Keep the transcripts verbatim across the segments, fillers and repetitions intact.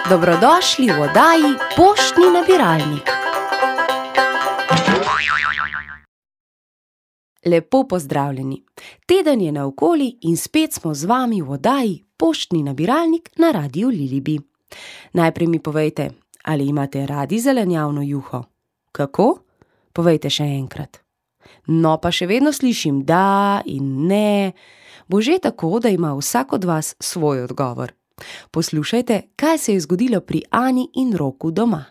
Dobrodošli v oddaji Poštni nabiralnik. Lepo pozdravljeni. Teden je naokoli in spet smo z vami v oddaji Poštni nabiralnik na Radiu Lilibi. Najprej mi povejte, ali imate radi zelenjavno juho? Kako? Povejte še enkrat. No, pa še vedno slišim da in ne. Bo že tako, da ima vsak od vas svoj odgovor. Poslušajte, kaj se je zgodilo pri Ani in Roku doma.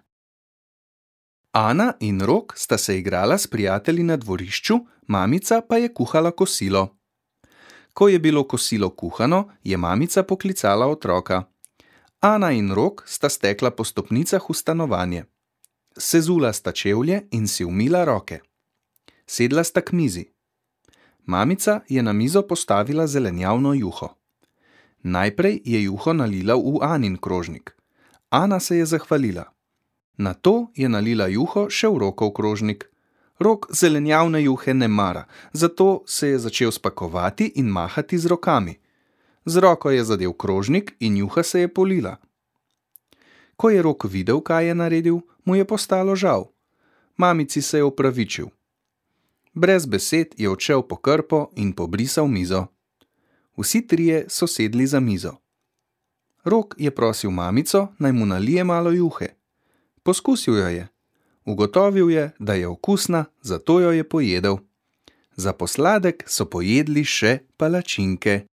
Ana in Rok sta se igrala s prijatelji na dvorišču, mamica pa je kuhala kosilo. Ko je bilo kosilo kuhano, je mamica poklicala otroka. Ana in Rok sta stekla po stopnicah v stanovanje. Sezula sta čevlje in si umila roke. Sedla sta k mizi. Mamica je na mizo postavila zelenjavno juho. Najprej je juho nalila v Anin krožnik. Ana se je zahvalila. Nato je nalila juho še v Rokov krožnik. Rok zelenjavne juhe ne mara, zato se je začel spakovati in mahati z rokami. Z roko je zadel krožnik in juha se je polila. Ko je Rok videl, kaj je naredil, mu je postalo žal. Mamici se je opravičil. Brez besed je odšel po krpo in pobrisal mizo. Vsi trije so sedli za mizo. Rok je prosil mamico, naj mu nalije malo juhe. Poskusil jo je. Ugotovil je, da je okusna, zato jo je pojedel. Za posladek so pojedli še palačinke.